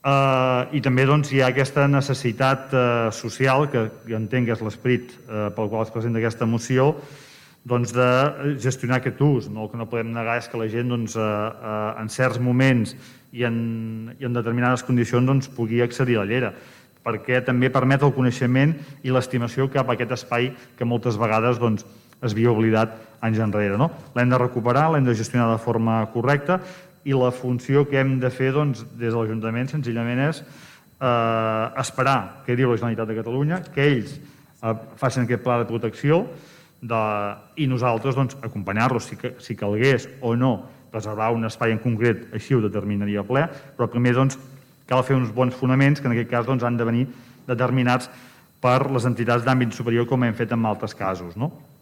I també hi ha aquesta necessitat social, que jo entenc que és l'esperit pel qual es presenta aquesta moció, de gestionar aquest ús. El que no podem negar és que la gent en certs moments i en determinades condicions pugui accedir a la llera, perquè també permet el coneixement i l'estimació cap a aquest espai que moltes vegades es havia oblidat anys enrere. L'hem de recuperar, l'hem de gestionar de forma correcta, i la funció que hem de fer des de l'Ajuntament senzillament és esperar què diu la Generalitat de Catalunya, que ells facin aquest pla de protecció i nosaltres acompanyar-los si calgués o no preservar un espai en concret, així ho determinaria el ple, però primer cal fer uns bons fonaments que en aquest cas han de venir determinats per les entitats d'àmbit superior, com hem fet en altres casos.